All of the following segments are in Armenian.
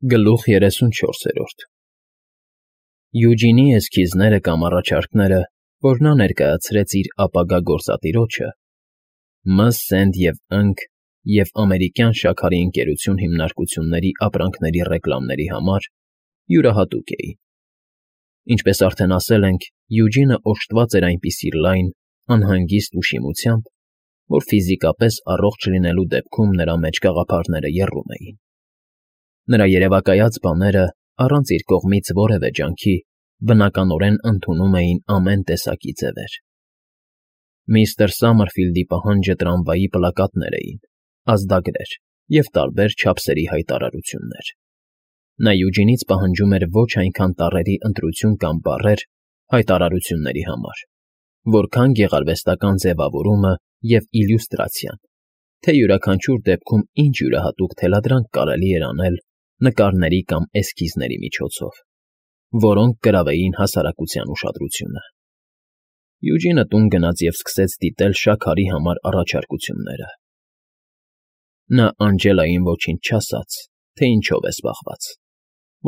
Գլուխ 34 Յուջինի էսքիզները կամ առաջարկները, որ նա ներկայացրեց իր ապագա գործատիրոջը, Մ. Սենդ և Ամերիկյան շաքարի ընկերություն հիմնարկությունների ապրանքների ռեկլամների համար, յուրահատուկ էին։ Ինչպես արդեն ասել ենք, Յուջինը օժտված էր այնպիսի լայն, անհանգիստ ուշիմությամբ, որ ֆիզիկապես առողջ լինելու դեպքում նրա մեջ գաղափարները եռում էին։ Նրա երևակայած բաները, առանց իր կողմից որևէ ջանքի, բնականորեն ընդունում էին ամեն տեսակի ձևեր։ Միստր Սամերֆիլդի պահանջը տրամվայի պլակատներ էին, ազդագրեր և տարբեր չափսերի հայտարարություններ։ Նա Յուջինից պահանջում էր ոչ այնքան տառերի ընտրություն կամ բառեր հայտարարությունների համար, որքան գեղարվեստական ձևավորումը և իլյուստրացիան, թե յուրաքանչյուր դեպքում ինչ յուրահատուկ թելադրանք կարելի էր անել նկարների կամ էսքիզների միջոցով, որոնք կրավեին հասարակության ուշադրությունը։ Յուջինը տուն գնաց և սկսեց դիտել շաքարի համար առաջարկությունները։ Նա Անջելային ոչինչ չասաց, թե ինչով է զբաղված,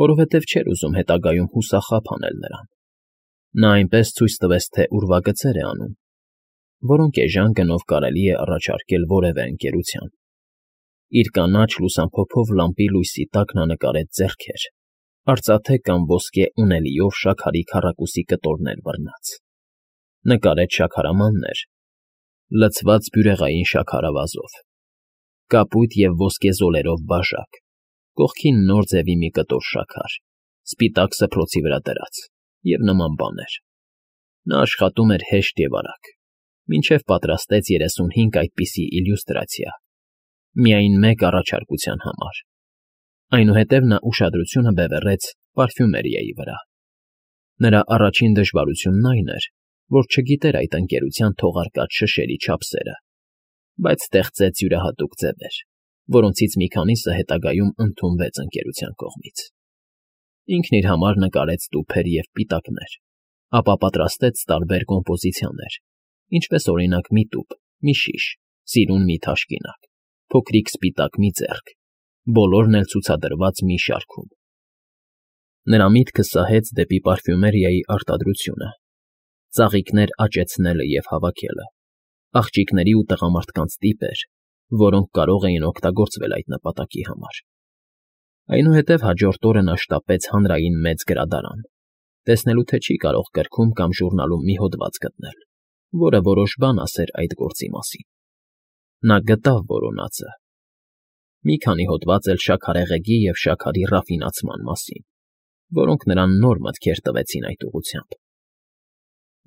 որովհետև չէր ուզում հետագայում հուսախաբ անել նրան։ Նա այնպես ցույց տվեց, թե ուրվագծեր է անում, որոնք էժան գնով կարելի է առաջարկել որևէ ընկերության։ Իր կանաչ լուսամփոփով լամպի լույսի տակ նա նկարեց ձեռքեր, արծաթե կամ ոսկե ունելիով շաքարի քառակուսի կտորներ բռնած, նկարեց շաքարամաններ, լցված բյուրեղային շաքարավազով, կապույտ և ոսկե զոլերով բաժակ, կողքին նոր ձևի մի կտոր շաքար, սպիտակ սփռոցի վրա դրած և նման բաներ։ Նա աշխատում էր հեշտ և արագ, մինչև պատրաստեց 35 այդպիսի իլյուստրացիա, միայն մեկ առաջարկության համար։ Այնուհետև նա ուշադրությունը բևեռեց պարֆյումերիայի վրա։ Նրա առաջին դժվարությունն այն էր, որ չգիտեր այդ ընկերության թողարկած շշերի չափսերը, բայց ստեղծեց յուրահատուկ ձևեր, որոնցից մի քանիսը հետագայում ընդունվեց ընկերության կողմից։ Ինքն իր համար նկարեց տուփեր և պիտակներ, ապա պատրաստեց տարբեր կոմպոզիցիաներ, ինչպես օրինակ մի տուփ, մի շիշ, սիրուն մի թաշկինակ, փոքրիկ սպիտակ մի ձեռք, բոլորն էլ ցուցադրված մի շարքում։ Նրա միտքը սահեց դեպի պարֆյումերիայի արտադրությունը, ծաղիկներ աճեցնելը և հավաքելը, աղջիկների ու տղամարդկանց տիպեր, որոնք կարող էին օգտագործվել այդ նպատակի համար։ Այնուհետև հաջորդ օրը նա շտապեց հանրային մեծ գրադարան, տեսնելու թե չի կարող գրքում կամ ժուրնալում մի հոդված գտնել, որը որոշ բան ասեր այդ գործի մասին։ Նա գտավ որոնածը։ Մի քանի հոդված էլ շաքարեղեգի և շաքարի ռաֆինացման մասին, որոնք նրան նոր մտքեր տվեցին այդ ուղղությամբ։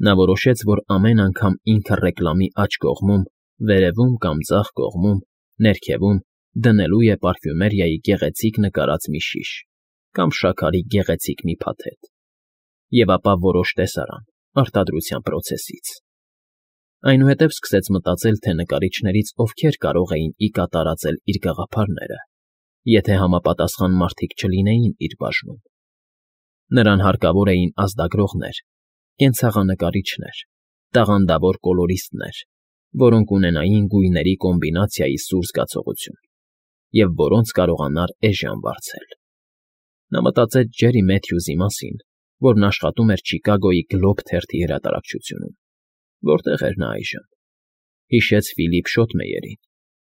Նա որոշեց, որ ամեն անգամ ինքը ռեկլամի աջ կողմում, վերևում կամ ձախ կողմում, ներքևում դնելու է պարֆյումերիայի գեղեցիկ նկարած մի շիշ կամ շաքարի գեղեցիկ մի փաթեթ, և ապա որոշ տեսարան արտադրության պրոցեսից։ Այնուհետև սկսեց մտածել, թե նկարիչներից ովքեր կարող էին ի կատ տարածել իր գաղափարները, եթե համապատասխան մարդիկ չլինեին իր բաժնում։ Նրան հարկավոր էին ազդագրողներ, կենցաղանկարիչներ, տաղանդավոր կոլորիստներ, որոնք ունենային գույների կոմբինացիայի սուր զգացողություն և որոնց կարողանար էժան վարձել։ Նա մտածեց Ջերի Մեթյուզի մասին, որն աշխատում էր Չիկագոյի Գլոբ թերթի հրատարակչությունում, որտեղ էր նա այժմ։ Հիշեց Ֆիլիպ Շոթմեյերին,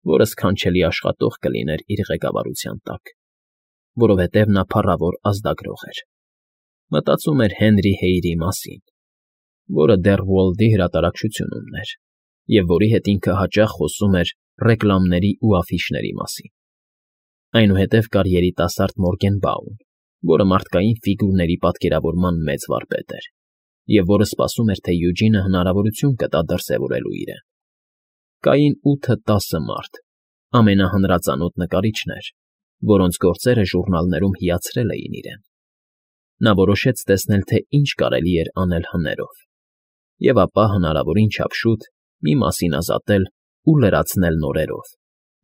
որը սքանչելի աշխատող կլիներ իր ղեկավարության տակ, որովհետև նա փառավոր ազդագրող էր։ Մտածում էր Հենրի Հեյրի մասին, որը դեռ Ուոլդի հրատարակչությունումն էր և որի հետ ինքը հաճախ խոսում էր ռեկլամների ու աֆիշների մասին։ Այնուհետև կար երիտասարդ Մորգենբաուն, որը մարդկային ֆիգուրների պատկերավորման մեծ վարպետ էր և որը սպասում էր, թե Յուջինը հնարավորություն կտա դրսևորելու իրեն։ Կային 8-10 մարդ, ամենահանրածանոթ նկարիչներ, որոնց գործերը ժուրնալներում հիացրել էին իրեն։ Նա որոշեց տեսնել, թե ինչ կարելի էր անել հներով, և ապա հնարավորին չափ շուտ մի մասին ազատել ու լրացնել նորերով,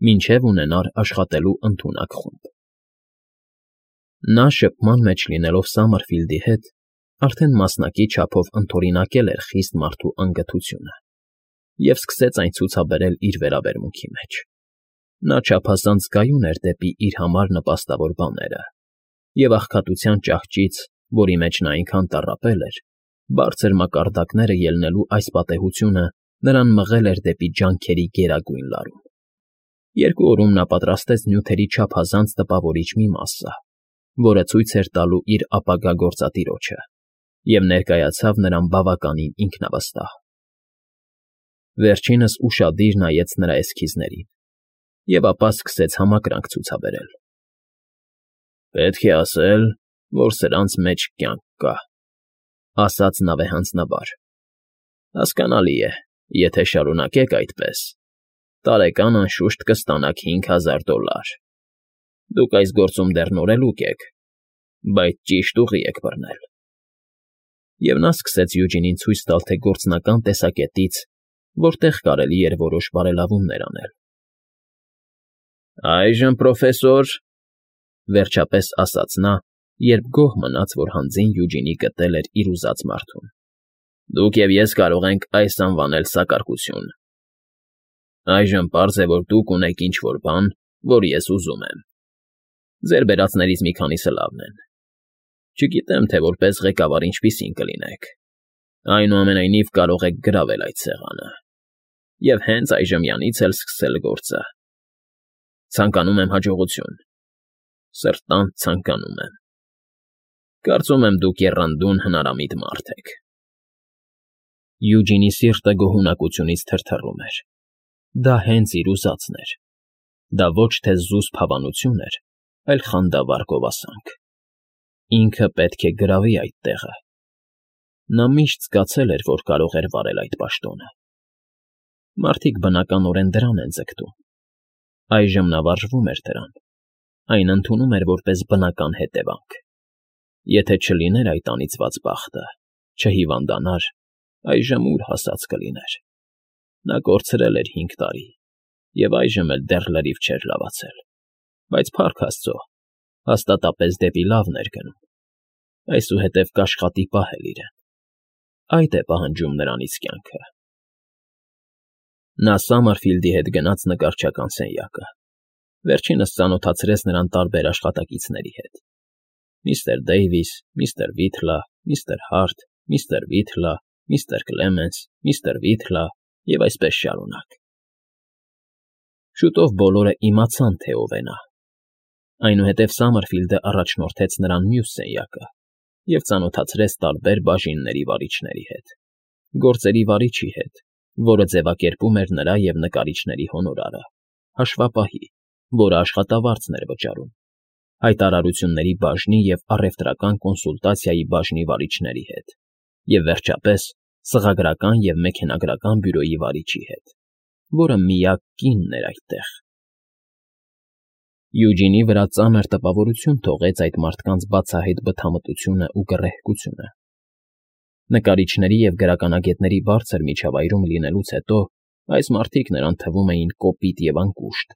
մինչև ունենար աշխատելու ընդունակ խումբ։ Նա շփման մեջ լինելով Սամերֆիլդի հետ, արդեն մասնակի չափով ընդօրինակել էր խիստ մարդու անգթությունը և սկսեց այն ցուցաբերել իր վերաբերմունքի մեջ։ Նա չափազանց գայուն էր դեպի իր համար նպաստավոր բաները, և աղքատության ճահճից, որի մեջ նա այնքան տառապել էր, բարձր մակարդակները ելնելու այս պատեհությունը նրան մղել էր դեպի ջանքերի գերագույն լարում։ 2 օրում նա պատրաստեց նյութերի չափազանց տպավորիչ մի մասսա, որը ցույց էր տալու իր ապագա գործատիրոջը, և ներկայացավ նրան բավականին ինքնավստահ։ Վերջինս ուշադիր նայեց նրա էսքիզներին և ապա սկսեց համակրանք ցուցաբերել։ «Պետք է ասել, որ սրանց մեջ կյանք կա», ասաց նա վեհանձնաբար։ «Հասկանալի է, եթե շարունակեք այդպես, տարեկան անշուշտ կստանաք $5,000։ Դուք այս գործում դեռ նորելուկ եք, բայց ճիշտ ուղի եք բռնել»։ Եվ նա սկսեց Յուջինին ցույց տալ, թե գործնական տեսակետից որտեղ կարելի էր որոշ բարելավումներ անել։ «Այժմ, պրոֆեսոր,֊ վերջապես ասաց նա, երբ գոհ մնաց, որ հանձին Յուջինի գտել էր իր ուզած մարդուն,֊ դուք և ես կարող ենք այս անվանել սակարկություն։ Այժմ պարզ է, որ դուք ունեք ինչ֊որ բան, որ ես ուզում եմ։ Ձեր բերածներից մի քանիսը լավն են։ Չգիտեմ, թե որպես ղեկավար ինչպիսին կլինեք։ Այնուամենայնիվ կարող եք գրավել այդ սեղանը և հենց այժմյանից էլ սկսել գործը։ Ցանկանում եմ հաջողություն։ Սրտանց ցանկանում եմ։ Կարծում եմ, դուք եռանդուն հնարամիտ մարդ եք»։ Յուջինի սիրտը գոհունակությունից թրթռում էր։ Դա հենց իր ուզածն էր։ Դա ոչ թե զուսպ հավանություն էր, այլ խանդավառ գովասանք։ Ինքը պետք է գրավի այդ տեղը։ Նա միշտ զգացել էր, որ կարող էր վարել այդ պաշտոնը։ Մարդիկ բնականորեն դրան են ձգտում։ Այժմ նա վարժվում էր դրան, այն ընդունում էր որպես բնական հետևանք։ Եթե չլիներ այդ անիծված բախտը, չհիվանդանար, այժմ ուր հասած կլիներ։ Նա կորցրել էր 5 տարի, և այժմ էլ դեռ լրիվ չէր լավացել, բայց փառք Աստծո, հաստատապես դեպի լավն էր գնում։ Այսուհետև կաշխատի պահել իրեն։ Այդ է պահանջում նրանից կյանքը։ Նա Սամարֆիլդի հետ գնաց նկարչական սենյակը։ Վերջինս ծանոթացրեց նրան տարբեր աշխատակիցների հետ. Միստր Դեյվիս, միստր Վիթլա, միստր Հարթ, միստր Վիթլա, միստր Կլեմենս, միստր Վիթլա և այսպես շարունակ։ Շուտով բոլորը իմացան, թե ով է նա։ Այնուհետև Սամարֆիլդը առաջնորդեց նրան մյուս սենյակը և ծանոթացրեց տարբեր բաժինների վարիչների հետ, գործերի վարիչի հետ, որը ձևակերպում էր նրա և նկարիչների հոնորարը, հաշվապահի, որը աշխատավարձն էր վճարում, հայտարարությունների բաժնի և առևտրական կոնսուլտացիայի բաժնի վարիչների հետ, և վերջապես սղագրական և մեքենագրական բյուրոյի վարիչի հետ, որը միակ կինն էր այդտեղ։ Յուջինի վրա ծանր տպավորություն թողեց այդ մարդկանց բացահայտ բթամտությունն ու գռեհկությունը։ Նկարիչների և գրականագետների բարձր միջավայրում լինելուց հետո այս մարդիկ նրան թվում էին կոպիտ և անկուշտ,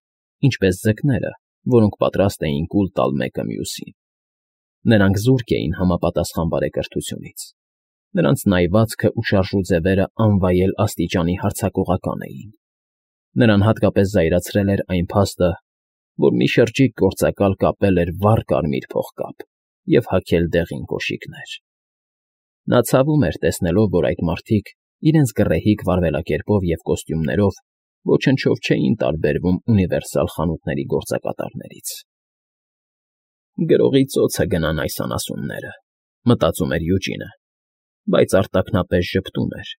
ինչպես ձկները, որոնք պատրաստ էին կուլ տալ մեկը մյուսին։ Նրանք զուրկ էին համապատասխան բարեկրթությունից։ Նրանց նայվածքն ու շարժուձևերը անվայել աստիճանի հարձակողական էին։ Նրան հատկապես զայրացրել էր այն փաստը, որ մի շրջիկ գործակալ կապել էր վառ կարմիր փողկապ և հագել դեղին կոշիկներ։ Նա ցավում էր տեսնելով, որ այդ մարդիկ իրենց գռեհիկ վարվելակերպով և կոստյումներով ոչնչով չէին տարբերվում ունիվերսալ խանութների գործակատարներից։ «Գրողի ծոցը գնան այս անասունները», մտածում էր Յուջինը, բայց արտաքնապես ժպտում էր,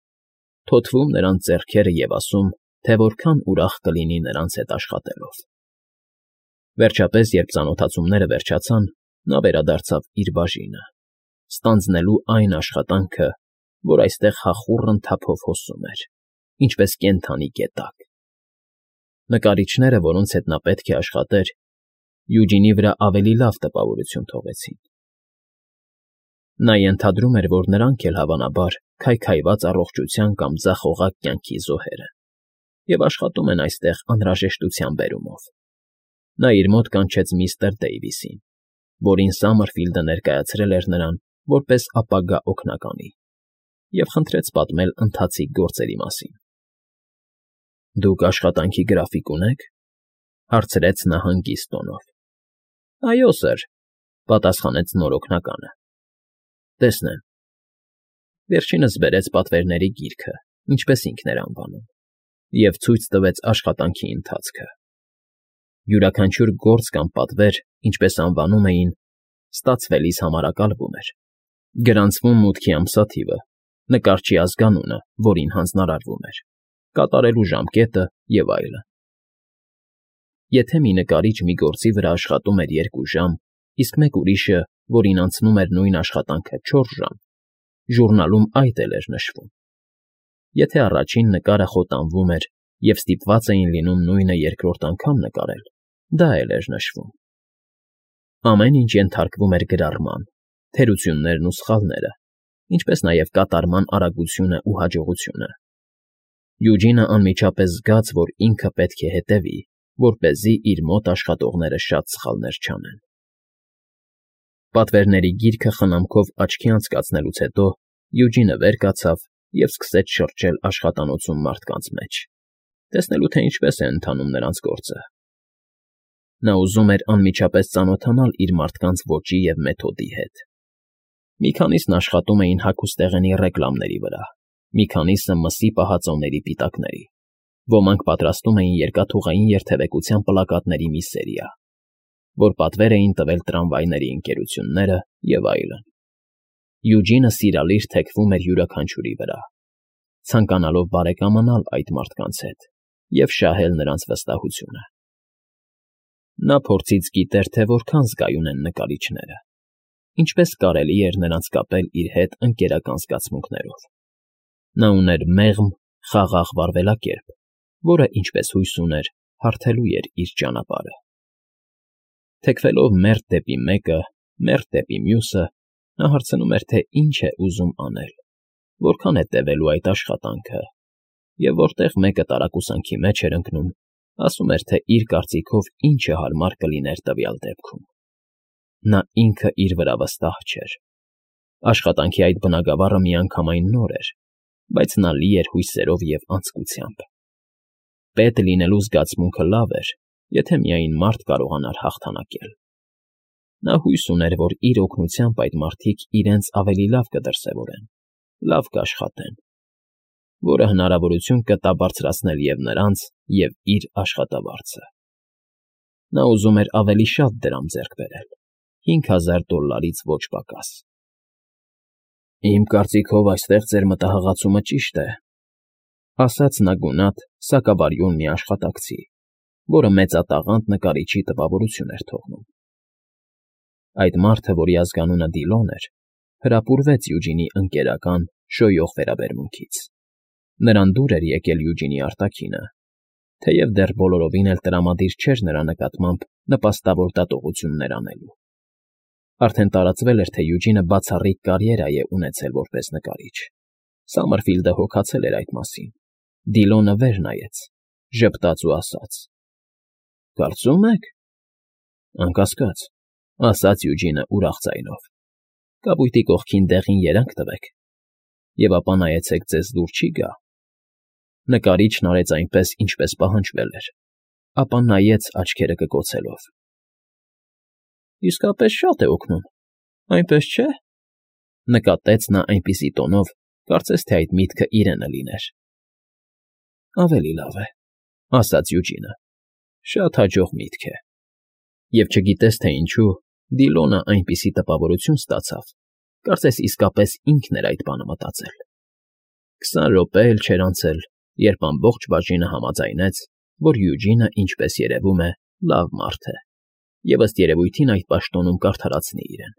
թոթվում նրանց ձեռքերը և ասում, թե որքան ուրախ կլինի նրանց հետ աշխատելով։ Վերջապես, երբ ծանոթացումները վերջացան, նա վերադարձավ իր բաժինը, ստանձնելու այն աշխատանքը, որ այստեղ հախուռն թափով հոսում էր, ինչպես կենդանի գետակ։ Նկարիչները, որոնց հետ նա պետք է աշխատեր, Յուջինի վրա ավելի լավ տպավորություն թողեցին։ Նա ենթադրում էր, որ նրանք էլ հավանաբար քայքայված առողջության կամ ձախողակ կյանքի զոհեր են և աշխատում են այստեղ անհրաժեշտության բերումով։ Նա իր մոտ կանչեց միստր Դեյվիսին, որին Սամարֆիլդը ներկայացրել էր նրան որպես ապագա օգնականի, և խնդրեց պատմել ընթացիկ գործերի մասին։ «Դուք աշխատանքի գրաֆիկ ունե՞ք,֊ հարցրեց նա հանգիստ տոնով։ «Այո, սըր, Պատասխանեց նոր օգնականը։ Տեսնեմ։ Վերջինս բերեց պատվերների գիրքը, ինչպես ինքն էր անվանում, և ցույց տվեց աշխատանքի ընթացքը։ Յուրաքանչյուր գործ կամ պատվեր, ինչպես անվանում էին, ստացվելիս համարակալվում էր, գրանցվում մուտքի ամսաթիվը, նկարչի ազգանունը, որին հանձնարարվում էր, կատարելու ժամկետը և այլն։ Եթե մի նկարիչ մի գործի վրա աշխատում էր 2 ժամ, իսկ մեկ ուրիշը, որին անցնում էր նույն աշխատանքը 4 ժամ, ժուրնալում այդ էլ էր նշվում։ Եթե առաջին նկարը խոտանվում էր և ստիպված էին լինում նույնը երկրորդ անգամ նկարել, դա էլ էր նշվում։ Ամեն ինչ ենթարկվում էր գրառման, թերություններն ու սխալները, ինչպես նաև կատարման արագությունն ու հաջողությունը։ Յուջինը անմիջապես զգաց, որ ինքը պետք է հետևի, որպեսզի իր մոտ աշխատողները շատ սխալներ չանեն։ Պատվերների գիրքը խնամքով աչքի անցկացնելուց հետո Յուջինը վեր կացավ և սկսեց շրջել աշխատանոցում մարդկանց մեջ, տեսնելու թե ինչպես է ընթանում նրանց գործը։ Նա ուզում էր անմիջապես ծանոթանալ իր մարդկանց ոճի և մեթոդի հետ։ Մի քանիսն աշխատում էին հագուստեղենի ռեկլամների վրա, մի քանիսը մսի պահածոների պիտակների, ոմանք պատրաստում էին երկաթուղային երթևեկության պլակատների մի սերիա, որ պատվեր էին տվել տրամվայների ընկերությունները և այլն։ Յուջինը սիրալիր թեքվում էր յուրաքանչյուրի վրա, ցանկանալով բարեկամանալ այդ մարդկանց հետ և շահել նրանց վստահությունը։ Նա փորձից գիտեր, թե որքան զգայուն են նկարիչները, ինչպես կարելի էր նրանց կապել իր հետ ընկերական զգացմունքներով։ Նա ուներ մեղմ, խաղաղ վարվելակերպ, որը, ինչպես հույս ուներ, հարթելու էր իր ճանապարհը։ Թեքվելով մերթ դեպի մեկը, մերթ դեպի մյուսը, նա հարցնում էր, թե ինչ է ուզում անել, որքան է տևելու այդ աշխատանքը, և որտեղ մեկը տարակուսանքի մեջ էր ընկնում, ասում էր, թե իր կարծիքով ինչը հարմար կլիներ տվյալ դեպքում։ Նա ինքը իր վրա վստահ չէր։ Աշխատանքի այդ բնագավառը միանգամայն նոր էր, բայց նա լի էր հույսերով և անձկությամբ։ Պետ լինելու զգացմունքը լավ էր, եթե միայն մարդ կարողանար հաղթանակել։ Նա հույս ուներ, որ իր օգնությամբ այդ մարդիկ իրենց ավելի լավ կդրսևորեն, լավ կաշխատեն, որը հնարավորություն կտա բարձրացնել և նրանց, և իր աշխատավարձը։ Նա ուզում էր ավելի շատ դրամ ձեռք բերել, $5000 ոչ պակաս։ Իմ կարծիքով այստեղ ձեր մտահղացումը ճիշտ է, ասաց նա գունատ, սակավարյուն մի աշխատակցի, որը մեծատաղանդ նկարիչի տպավորություն էր թողնում։ Այդ մարդը, որի ազգանունը Դիլոն էր, հրապուրվեց Յուջինի ընկերական, շոյող վերաբերմունքից։ Նրան դուր էր եկել Յուջինի արտաքինը, թեև դեռ բոլորովին էլ տրամադիր չէր նրա նկատմամբ նպաստավոր դատողություններ անելու։ Արդեն տարածվել էր, թե Յուջինը բացառիկ կարիերա է ունեցել որպես նկարիչ։ Սամերֆիլդը հոգացել էր այդ մասին։ Դիլոնը վեր նայեց, ժպտաց ու ասաց. «Կարծում եք»։ «Անկասկած», ասաց Յուջինը ուրախ ձայնով։ «Կապույտի կողքին դեղին երանգ տվեք, և ապա նայեցեք ձեզ դուր չի գա»։ Նկարիչն արեց այնպես, ինչպես պահանջվել էր, ապա նայեց աչքերը կկոցելով։ «Իսկապես շատ է օգնում, այնպես չէ՞», նկատեց նա այնպիսի տոնով, կարծես թե այդ միտքը իրենը լիներ։ «Ավելի լավ է», ասաց Յուջինը, «շատ հաջող միտք է»։ Եվ չգիտես թե ինչու, Դիլոնը այնպիսի տպավորություն ստացավ, կարծես իսկապես ինքն էր այդ բանը մտածել։ 20 րոպե էլ չէր անցել, երբ ամբողջ բաժինը համաձայնեց, որ Յուջինը, ինչպես երևում է, լավ մարդ է, և ըստ երևույթին այդ պաշտոնում կարդարացնի իրեն։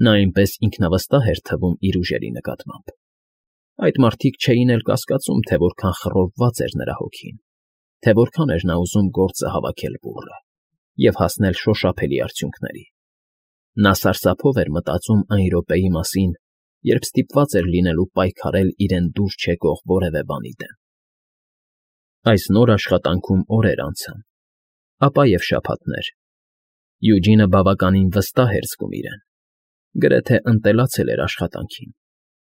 Նա այնպես ինքնավստահ էր թվում իր ուժերի նկատմամբ։ Այդ մարդիկ չէին էլ կասկածում, թե որքան խռովված էր նրա հոգին, թե որքան էր նա ուզում գործը հավաքել բուռը և հասնել շոշափելի արդյունքների։ Նա սարսափով էր մտածում այն րոպեի մասին, երբ ստիպված էր լինելու պայքարել իրեն դուր չեկող որևէ բանի դեմ։ Այս նոր աշխատանքում օրեր անցան, ապա և շաբաթներ։ Յուջինը բավականին վստահ էր զգում իրեն, գրեթե ընտելացել էր աշխատանքին,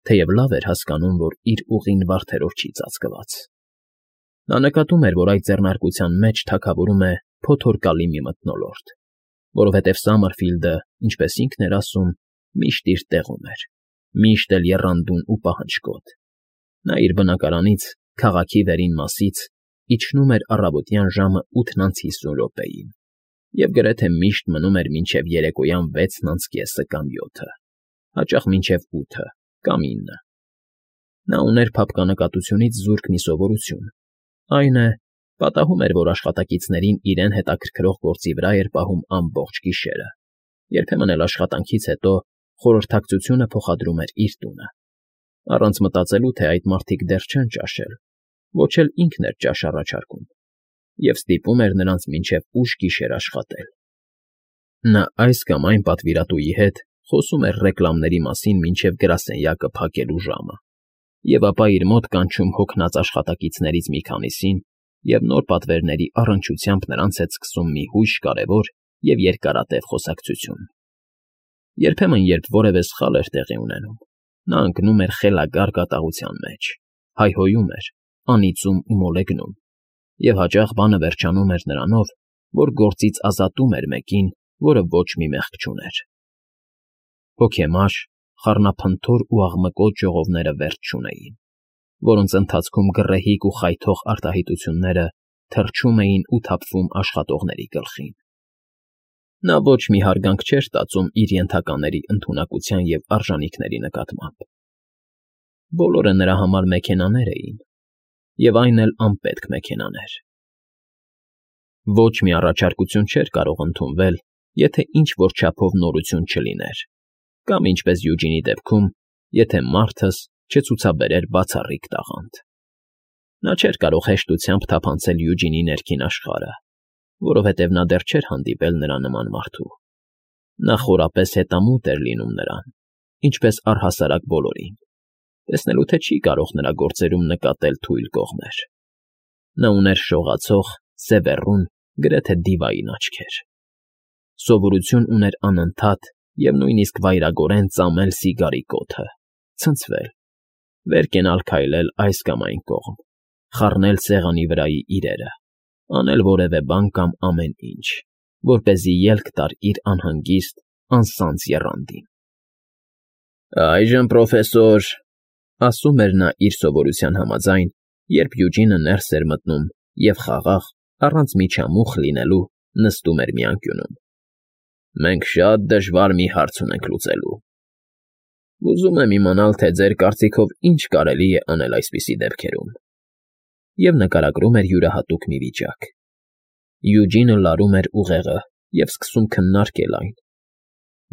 թեև լավ էր հասկանում, որ իր ուղին վարդերով չի ծածկված։ Նա նկատում էր, որ այդ ձեռնարկության մեջ թագավորում է փոթորկալի մի մթնոլորտ, որովհետև Սամերֆիլդը, ինչպես ինքն էր ասում, միշտ իր տեղում էր, միշտ էլ եռանդուն ու պահանջկոտ։ Նա իր բնակարանից, քաղաքի վերին մասից, իջնում էր առավոտյան ժամը 8:50 և գրեթե միշտ մնում էր մինչև երեկոյան 6:30 կամ 7, հաճախ մինչև 8 կամ 9։ Նա ուներ փափկանակատությունից զուրկ մի սովորություն, այն է, պատահում էր, որ աշխատակիցներին իրեն հետաքրքրող գործի վրա էր պահում ամբողջ գիշերը, երբեմն էլ աշխատանքից հետո խորհրդակցությունը փոխադրում էր իր տունը, առանց մտածելու, թե այդ մարդիկ դեռ չեն ճաշել, ոչ էլ ինքն էր ճաշ առաջարկում, և ստիպում էր նրանց մինչև ուշ գիշեր աշխատել։ Նա այս կամ այն պատվիրատուի հետ խոսում էր ռեկլամների մասին մինչև գրասենյակը փակելու ժամը, և ապա իր մոտ կանչում հոգնած աշխատակիցներից մի քանիսին և նոր պատվերների առնչությամբ նրանց հետ սկսում մի հույժ կարևոր և երկարատև խոսակցություն։ Երբեմն, երբ որևէ սխալ էր տեղի ունենում, նա ընկնում էր խելագար կատաղության մեջ, հայհոյում էր, անիծում ու մոլեգնում, և հաճախ բանը վերջանում էր նրանով, որ գործից ազատում էր մեկին, որը ոչ մի մեղք չուներ։ Հոգեմար, խառնափնթոր ու աղմկոտ ժողովները վերջ չունեին, որոնց ընթացքում գռեհիկ ու խայթող արտահայտությունները թռչում էին ու թափվում աշխատողների գլխին։ Նա ոչ մի հարգանք չէր տածում իր ենթակաների ընդունակության և արժանիքների նկատմամբ։ Բոլորը նրա համար մեքենաներ էին, և այն էլ անպետք մեքենաներ։ Ոչ մի առաջարկություն չէր կարող ընդունվել, եթե ինչ-որ չափով նորություն չլիներ, կամ, ինչպես Յուջինի դեպքում, եթե մարդս չցուցաբերեր բացառիկ տաղանդ։ Նա չէր կարող հեշտությամբ թափանցել Յուջինի ներքին աշխարհը, որովհետև նա դեռ չէր հանդիպել նրա նման մարդու։ Նա խորապես հետամուտ էր լինում նրան, ինչպես առհասարակ բոլորին, տեսնելու թե չի կարող նրա գործերում նկատել թույլ կողմեր։ Նա ուներ շողացող, սևեռուն, գրեթե դիվային աչքեր։ Սովորություն ուներ անընդհատ և նույնիսկ վայրագորեն ծամել սիգարի կոթը, ցնցվել, վեր կենալ քայլել այս կամ այն կողմ, խառնել սեղանի վրայի իրերը, անել որևէ բան կամ ամեն ինչ, որպեսզի ելք տար իր անհանգիստ, անսանձ եռանդին։ «Այժմ, պրոֆեսոր,֊ ասում էր նա իր սովորության համաձայն, երբ Յուջինը ներս էր մտնում և խաղաղ, առանց միջամուխ լինելու նստում էր մի անկյունում,֊ մենք շատ դժվար մի հարց ունենք լուծելու։ Ուզում եմ իմանալ, թե ձեր կարծիքով ինչ կարելի է անել այսպիսի դեպքերում»։ Եվ նկարագրում էր յուրահատուկ մի վիճակ։ Յուջինը լարում էր ուղեղը և սկսում քննարկել այն,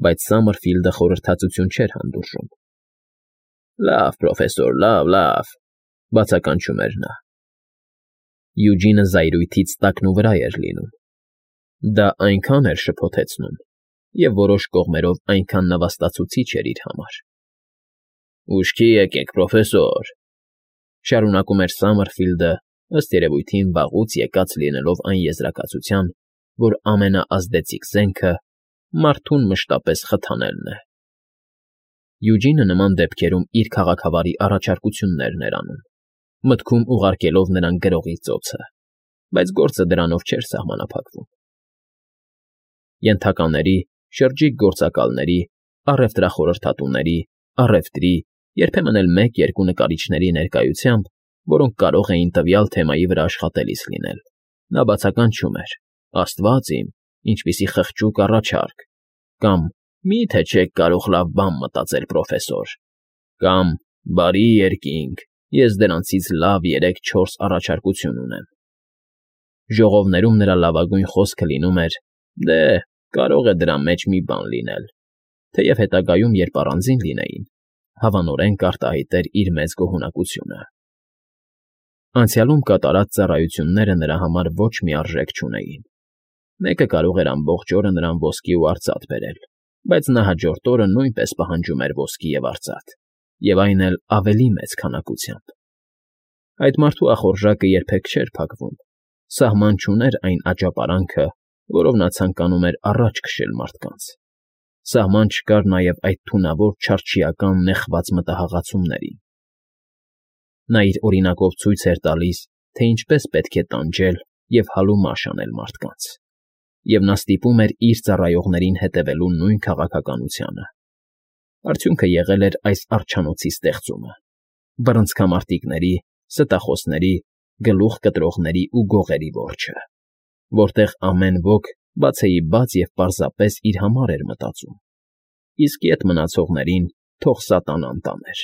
բայց Սամերֆիլդը խորհրդածություն չէր հանդուրժում։ «Լավ, պրոֆեսոր, լավ,֊ բացականչում էր նա։ Յուջինը զայրույթից տակնուվրա էր լինում։ Դա այնքան էր շփոթեցնում և որոշ կողմերով այնքան նվաստացուցիչ էր իր համար։ «Ուշքի եկեք, պրոֆեսոր,֊ շարունակում էր Սամերֆիլդը, ըստ երևույթին վաղուց եկած լինելով այն եզրակացության, որ ամենաազդեցիկ զենքը մարդուն մշտապես խթանելն է։ Յուջինը նման դեպքերում իր քաղաքավարի առաջարկություններն էր անում, մտքում ուղարկելով նրան գրողի ծոցը, բայց գործը դրանով չէր սահմանափակվում։ Ենթակաների, շրջիկ գործակալների, առևտրախորհրդատուների, առևտրի, երբեմն էլ մեկ-երկու նկարիչների ներկայությամբ, որոնք կարող էին տվյալ թեմայի վրա աշխատելիս լինել, նա բացականչում էր. «Աստված իմ, ինչպիսի խղճուկ առաջարկ», կամ «Մի՞թե չեք կարող լավ բան մտածել, պրոֆեսոր», կամ «Բարի երկինք, ես դրանցից լավ 3-4 առաջարկություն ունեմ»։ Ժողովներում նրա լավագույն խոսքը լինում էր. «Դե, կարող է դրա մեջ մի բան լինել», թեև հետագայում, երբ առանձին լինեին, հավանորեն կարտահայտեր իր մեծ գոհունակությունը։ Անցյալում կատարած ծառայությունները նրա համար ոչ մի արժեք չունեին։ Մեկը կարող էր ամբողջ օրը նրան ոսկի ու արծաթ բերել, բայց նա հաջորդ օրը նույնպես պահանջում էր ոսկի և արծաթ, և այն էլ ավելի մեծ քանակությամբ։ Այդ մարդու ախորժակը երբեք չէր փակվում, սահման չուներ այն աճապարանքը, որով նա ցանկանում էր առաջ քշել մարդկանց։ Սահման չկար նաև այդ թունավոր չարչիական նեխված մտահաղացումներին։ Նա իր օրինակով ցույց էր տալիս, թե ինչպես պետք է տանջել և հալումաշ անել մարդկանց, և նա ստիպում էր իր ծառայողներին հետևելու նույն քաղաքականությանը։ Արդյունքը եղել էր այս արջանոցի ստեղծումը՝ բռնցքամարտիկների, ստախոսների, գլուխ կտրողների ու գողերի որջը, որտեղ ամեն ոք բացեիբաց և պարզապես իր համար էր մտածում, իսկ ետ մնացողներին թող սատանան տաներ։